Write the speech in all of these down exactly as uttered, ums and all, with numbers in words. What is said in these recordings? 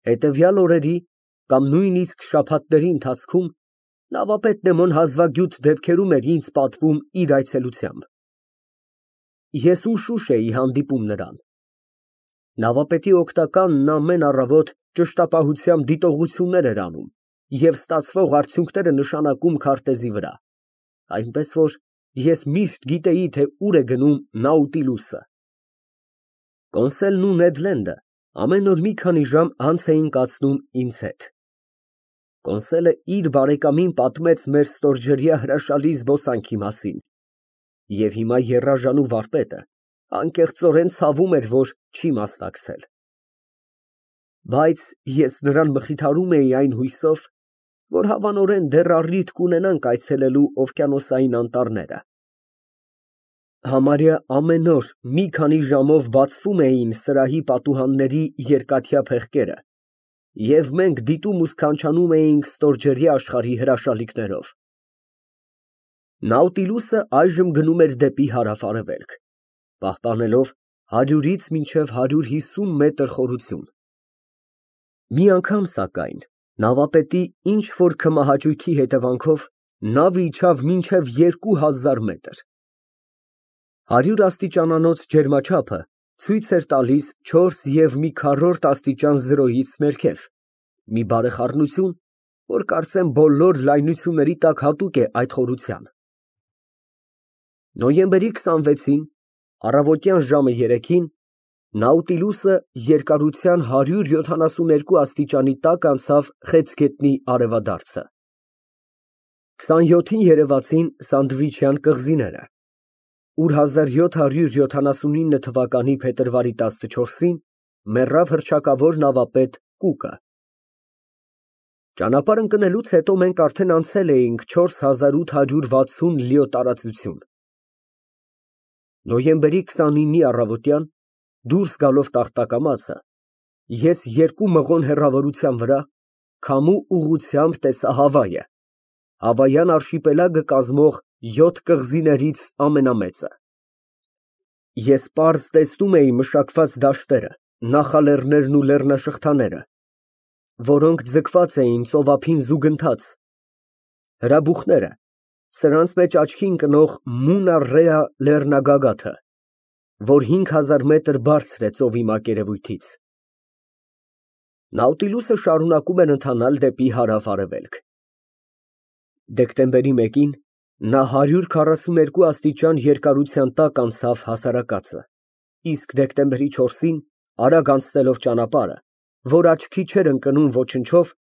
Հետևյալ օրերի կամ նույնիսկ շաբաթների ընթացքում նավապետն էմոն հազվագյուտ դեպքերում էր ինձ պատվում իր այցելությամբ։ Ես ուշուշ էի հանդիպում նրան։ Նավապետի օգնականն ամեն առավոտ ճշտապահությամբ դիտողություններ էր անում և ստացվող արդյունքները նշանակում քարտեզի վրա, այնպես որ ես միշտ գիտեի, թե ուր է գնում Նաուտիլուսը։ Կոնսելն ու Նեդ Լենդը ամեն օր մի քանի ժամ անց էին կացնում ինձ հետ։ Կոնսելը իր բարեկամին պատմեց մեր ստորջրյա հրաշալի զբոսանքի մասին, և հիմա եռաժանու վարպետը անկեղծորեն ցավում էր, որ չի մասնակցել։ Բայց ես նրան մխիթարում էի այն հույսով, որ հավանորեն դեռ առիթ կունենանք այցելելու օվկիանոսային անտառները։ Համարյա ամեն օր մի քանի ժամով բացվում էին սրահի պատուհանների երկաթյա փեղկերը, և մենք դիտում ու սքանչանում էինք ստորջրյա աշխարհի հրաշալիքներով։ Նաուտիլուսը այժմ գնում էր դեպի հարավ֊արևելք, պահպանելով հարյուրից մինչև հարյուր հիսուն մետր խորություն։ Մի անգամ, սակայն, նավապետի ինչ֊որ քմահաճույքի հետևանքով նավը իջավ մինչև երկու հազար մետր։ Հարյուր աստիճանանոց ջերմաչափը ցույց էր տալիս չորս և մի քառորդ աստիճան զրոյից ներքև, մի բարեխառնություն, որ կարծեմ բոլոր լայնությունների տակ հատուկ է այդ խորության։ Նոյեմբերի քսանվեցին, առավոտյան ժամը երեքին, Նաուտիլուսը երկարության հարյուր յոթանասուներկու աստիճանի տակ անցավ խեցգետնի արևադարձը։ քսանյոթին երևացին Սանդվիչյան կղզիները, ուր հազար յոթ հարյուր յոթանասունինը թվականի փետրվարի տասնչորսին մեռավ հռչակավոր նավապետ Կուկը։ Ճանապարհ ընկնելուց հետո մենք արդեն անցել էինք չորս հազար ութ հարյուր վաթսուն լիո տարածություն։ Նոյեմբերի քսանինի առավոտյան, դուրս գալով Տախտակամածը, ես երկու մղոն հեռավորության վրա քամու ուղղությամբ տեսա Հավայը, Հավայան արշիպելագը կազմող յոթ կղզիներից ամենամեծը։ Ես պարզ տեսնում էի մշակված դաշտերը, նախալեռներն ու լեռնաշղթաները, որոնք ձգված էին ծովափին զուգընթաց, հրաբուխները, սրանց մեջ աչքի ընկնող Մունա Ռեա լեռնագագաթը, որ հինգ հազար մետր բարձր է ծովի մակերևույթից։ Նաուտիլուսը շարունակում էր ընթանալ դեպի հարավ֊արևելք։ Դեկտեմբերի մեկին նա հարյուր քառասուներկու աստիճան երկարության տակ անցավ հասարակածը, իսկ դեկտեմբերի չորսին, արագ անցնելով ճանապարհը, որ աչքի չէր ընկնում ոչնչով,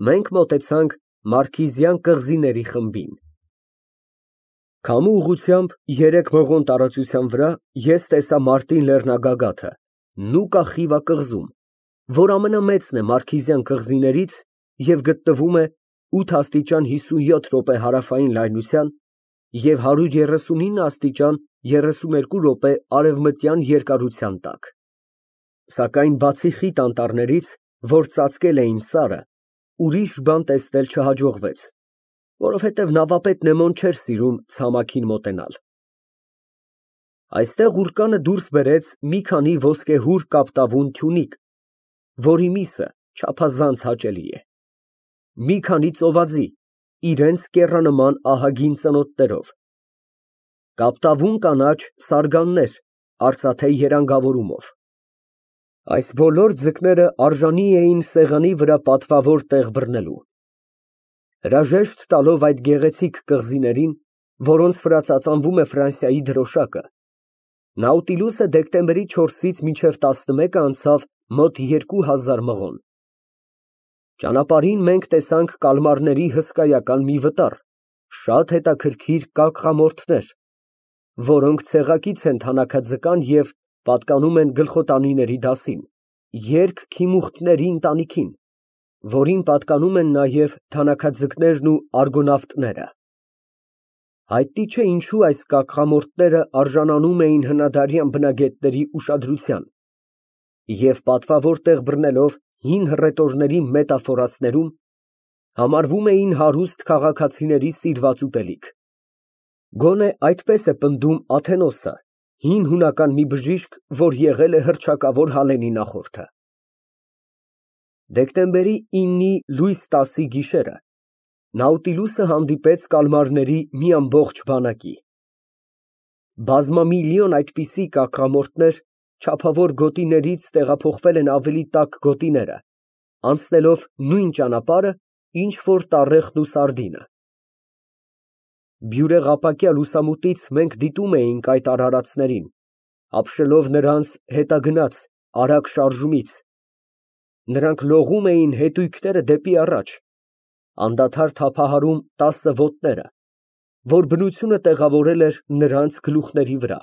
մենք մոտեցանք Մարքիզյան կղզիների խմբին։ Քամու ուղղությամբ երեք մղոն տարածության վրա ես տեսա Մարտին լեռնագագաթը, Նուկա Խիվա կղզում, որ ամենամեծն է Մարքիզյան կղզիներից և գտնվում է ութ աստիճան հիսունյոթ րոպե հարավային լայնության և հարյուր երեսունինը աստիճան երեսուներկու րոպե արևմտյան երկարության տակ։ Սակայն բացի խիտ անտառներից, որ ծածկել էին սարը, ուրիշ բան տեսնել չհաջողվեց, որովհետև նավապետն էմոն չէր սիրում ցամաքին մոտենալ։ Այստեղ ուռկանը դուրս բերեց մի քանի ոսկեհուր կապտավուն թյունիկ, որի միսը չափազանց հաճելի է, մի քանի ծովածի, իրենց կեռանման ահագին ծնոտներով, կապտավուն կանաչ սարգաններ արծաթե երանգավորումով։ Այս բոլոր ձկները արժանի էին սեղանի վրա պատվավոր տեղ բռնելու։ Հրաժեշտ տալով այդ գեղեցիկ կղզիներին, որոնց վրա ծածանվում է Ֆրանսիայի դրոշակը, Նաուտիլուսը դեկտեմբերի չորսից մինչև տասնմեկը անցավ մոտ երկու հազար մղոն։ Ճանապարհին մենք տեսանք կալմարների հսկայական մի վտար, շատ հետաքրքիր կակղամորթներ, որոնք ցեղակից են թանաքաձկան և պատկանում են գլխոտանիների դասին, երգ ընտանիքին, որին պատկանում են նաև թանաքաձկներն ու արգոնավտները։ Հայտնի չէ ինչու այս կակղամորթները արժանանում էին հնադարյան բնագետների ուշադրության և պատվավոր տեղ բռնելով հին հռետորների մետաֆորացներում, համարվում էին հարուստ քաղաքացիների սիրված ուտելիք։ Գոնե այդպես է պնդում Աթենոսը, հին հունական մի բժիշկ, որ եղել է հռչակավոր Հալենի նախորդը։ Դեկտեմբերի իննի լույս տասի գիշերը Նաուտիլուսը հանդիպեց կալմարների մի ամբողջ բանակի։ Բազմամիլիոն այդպիսի կաքամորտներ չափավոր գոտիներից տեղափոխվել են ավելի տաք գոտիները, անցնելով նույն ճանապարհը, ինչ որ տառեխն ու սարդինը։ Բյուրեղապակյա լուսամուտից մենք դիտում էինք այդ արարածներին, ապշելով նրանց հետագնաց արագ շարժումից, նրանք լողում էին հետույքները դեպի առաջ, անդադար թափահարում տասը ոտները, որ բնությունը տեղավորել էր նրանց գլուխների վրա,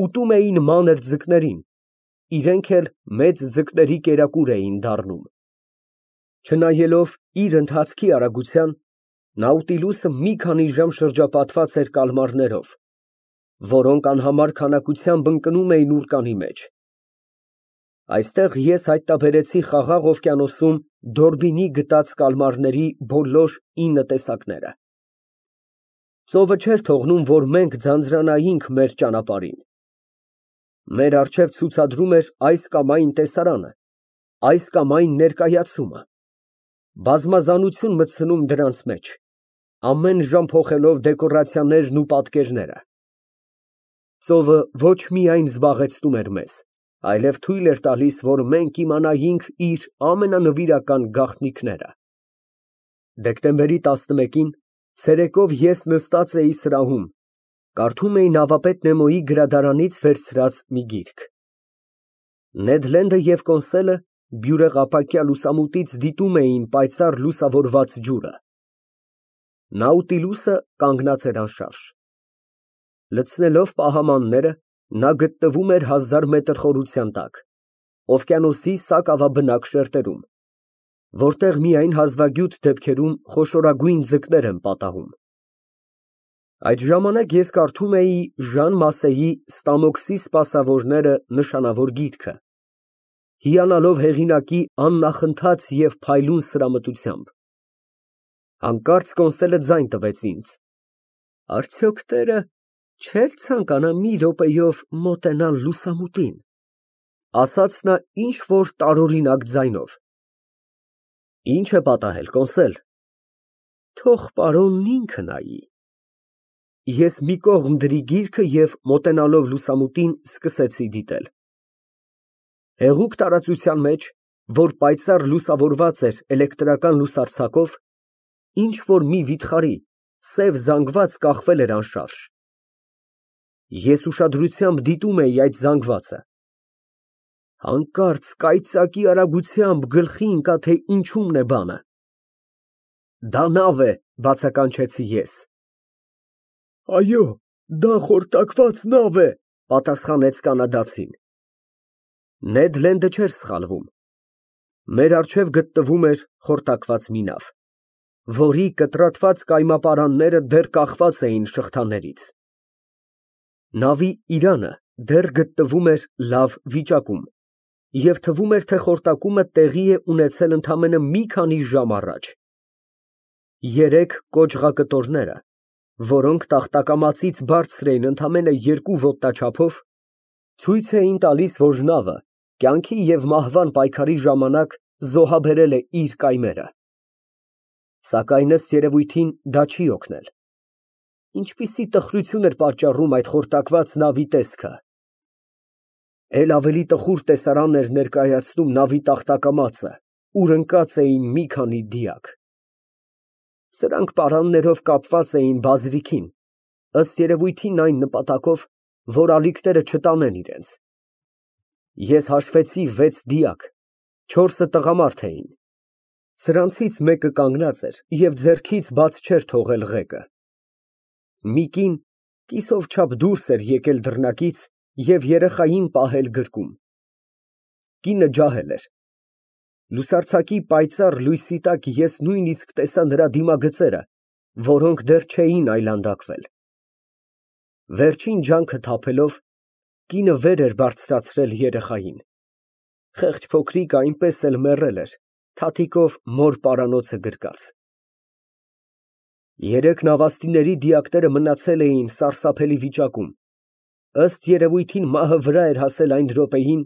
ուտում էին մանր ձկներին, իրենք էլ մեծ ձկների կերակուր էին դառնում։ Չնայելով իր ընթացքի արագության, Նաուտիլուսը մի քանի ժամ շրջապատված էր կալմարներով, որոնք անհամար քանակությամբ ընկնում էին ուռկանի մեջ։ Այստեղ ես հայտնաբերեցի Խաղաղ օվկիանոսում Դորբինի գտած կալմարների բոլոր ինը տեսակները։ Ծովը չէր թողնում, որ մենք ձանձրանայինք մեր ճանապարհին։ Մեր առջև ցուցադրում էր այս կամ այն տեսարանը, այս կամ այն ներկայացումը, բազմազանություն մտցնում դրանց մեջ, ամեն ժամ փոխելով դեկորացիաներն ու պատկերները։ Ծովը ոչ միայն զբաղեցնում էր մեզ, այլև թույլ էր տալիս, որ մենք իմանայինք իր ամենանվիրական գաղտնիքները։ Դեկտեմբերի տասնմեկին ցերեկով ես նստած էի սրահում, կարդում էի նավապետ Նեմոյի գրադարանից վերցրած մի գիրք։ Նեդ Լենդը և Կոնսելը բյուրեղապակյա լուսամուտից դիտում էին պայծառ լուսավորված ջուրը։ Նաուտիլուսը կանգնած էր անշարժ։ Լցնելով պահամանները, նա գտնվում էր հազար մետր խորության տակ, օվկիանոսի սակավաբնակ շերտերում, որտեղ միայն հազվագյուտ դեպքերում խոշորագույն ձկներ են պատահում։ Այդ ժամանակ ես կարդում էի Ժան Մասեի «Ստամոքսի սպասավորները» նշանավոր գիրքը, հիանալով հեղինակի աննախընթաց և փայլուն սրամտությամբ։ Հանկարծ Կոնսելը ձայն տվեց ինձ. «Արդյոք տերը չէր ցանկանա մի րոպեով մոտենալ լուսամուտին», ասաց նա ինչ֊որ տարօրինակ ձայնով։ «Ի՞նչ է պատահել, Կոնսել»։ «Թող պարոնն ինքը նայի»։ Ես մի կողմ դրի գիրքը և մոտենալով լուսամուտին, սկսեցի դիտել։ Հեղուկ տարածության մեջ, որ պայծառ լուսավորված էր էլեկտրական լուսարձակով, ինչ֊որ մի վիթխարի սև զանգված կախվել էր անշարժ։ Ես ուշադրությամբ դիտում էի այդ զանգվածը։ Հանկարծ կայծակի արագությամբ գլխի ընկա, թե ինչումն է բանը։ «Դա նավ է», բացականչեցի ես։ «Այո, դա խորտակված նավ է», պատասխանեց կանադացին։ Նեդ Լենդը չէր սխալվում։ Մեր առջև գտնվում էր խորտակված մի նավ, որի կտրատված կայմապարանները դեռ կախված էին շղթաներից։ Նավի իրանը դեռ գտնվում էր լավ վիճակում, և թվում էր, թե խորտակումը տեղի է ունեցել ընդամենը մի քանի ժամ առաջ։ Երեք կոճղակտորները, որոնք տախտակամածից բարձր էին ընդամենը երկու ոտնաչափով, ցույց էին տալիս, որ նավը կյանքի և մահվան պայքարի ժամանակ զոհաբերել է իր կայմերը։ Սակայն ըստ երևույթին դա չի օգնել։ Ինչպիսի տխրություն էր պատճառում այդ խորտակված նավի տեսքը։ Էլ ավելի տխուր տեսարան էր ներկայացնում նավի տախտակամածը, ուր ընկած էին մի քանի դիակ։ Սրանք պարաններով կապված էին բազրիքին, ըստ երևույթին այն նպատակով, որ ալիքները չտանեն իրենց։ Ես հաշվեցի վեց դիակ, չորսը տղամարդ էին։ Սրանցից մեկը կանգնած էր և ձեռքից բաց չէր թողել ղեկը։ Մի կին կիսով չափ դուրս էր եկել դռնակից և երեխային պահել գրկում։ Կինը ջահել էր։ Լուսարձակի պայծառ լույսի տակ ես նույնիսկ տեսա նրա դիմագծերը, որոնք դեռ չէին այլանդակվել։ Վերջին ջանքը թափելով, կինը վեր էր բարձրացրել երեխային։ Խեղճ փոքրիկը այնպես էլ մեռել էր, թաթիկով մոր պարանոցը գրկած։ Երեք նավաստիների դիակները մնացել էին սարսափելի վիճակում, ըստ երևույթին մահը վրա էր հասել այն րոպեին,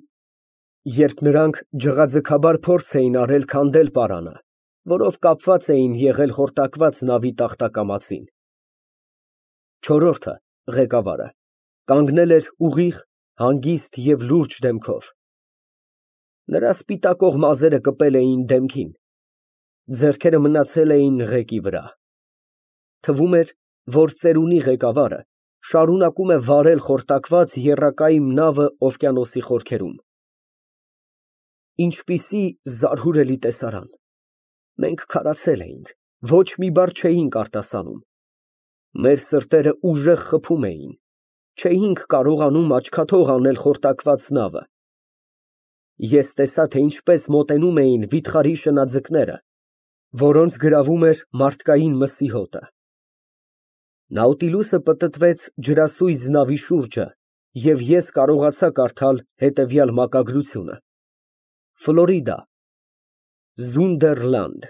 Երբ նրանք ջղաձգաբար փորձ էին արել քանդել պարանը, որով կապված էին եղել խորտակված նավի տախտակամածին, չորրորդը ղեկավարը կանգնել էր ուղիղ, հանգիստ և լուրջ դեմքով. նրա սպիտակող մազերը կպել էին դեմքին, ձեռքերը մնացել էին ղեկի վրա, թվում էր, որ ծերունի ղեկավարը շարունակում է վարել խորտակված եռակայմ նավը օվկիանոսի խորքերում։ Ինչպիսի զարհուրելի տեսարան, մենք քարացել էինք, ոչ մի բառ չէինք արտասանում, մեր սրտերը ուժեղ խփում էին, չէինք կարողանում աչքաթող անել խորտակված նավը։ Ես տեսա, թե ինչպես մոտենում էին վիթխարի շնաձկները, որոնց գրավում էր մարդկային մսի հոտը։ Նաուտիլուսը պտտվեց ջրասույզ նավի շուրջը, և ես կարողացա կարդալ հետևյալ մակագրությունը. Ֆլորիդա, Զունդերլանդ։